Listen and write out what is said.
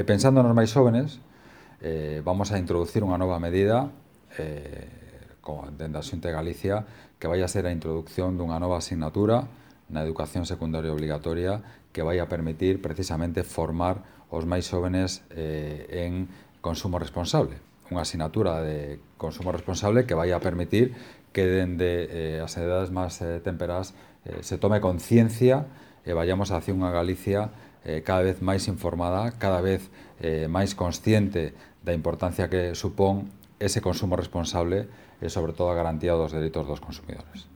Pensando nos máis xóvenes, vamos a introducir unha nova medida dende a Xunta de Galicia que vai a ser a introducción dunha nova asignatura na educación secundaria obligatoria que vai a permitir precisamente formar os máis xóvenes en consumo responsable. Unha asignatura de consumo responsable que vai a permitir que dende as edades máis temperás se tome conciencia e vayamos hacia unha Galicia cada vez máis informada, cada vez máis consciente da importancia que supón ese consumo responsable e, sobre todo, a garantía dos dereitos dos consumidores.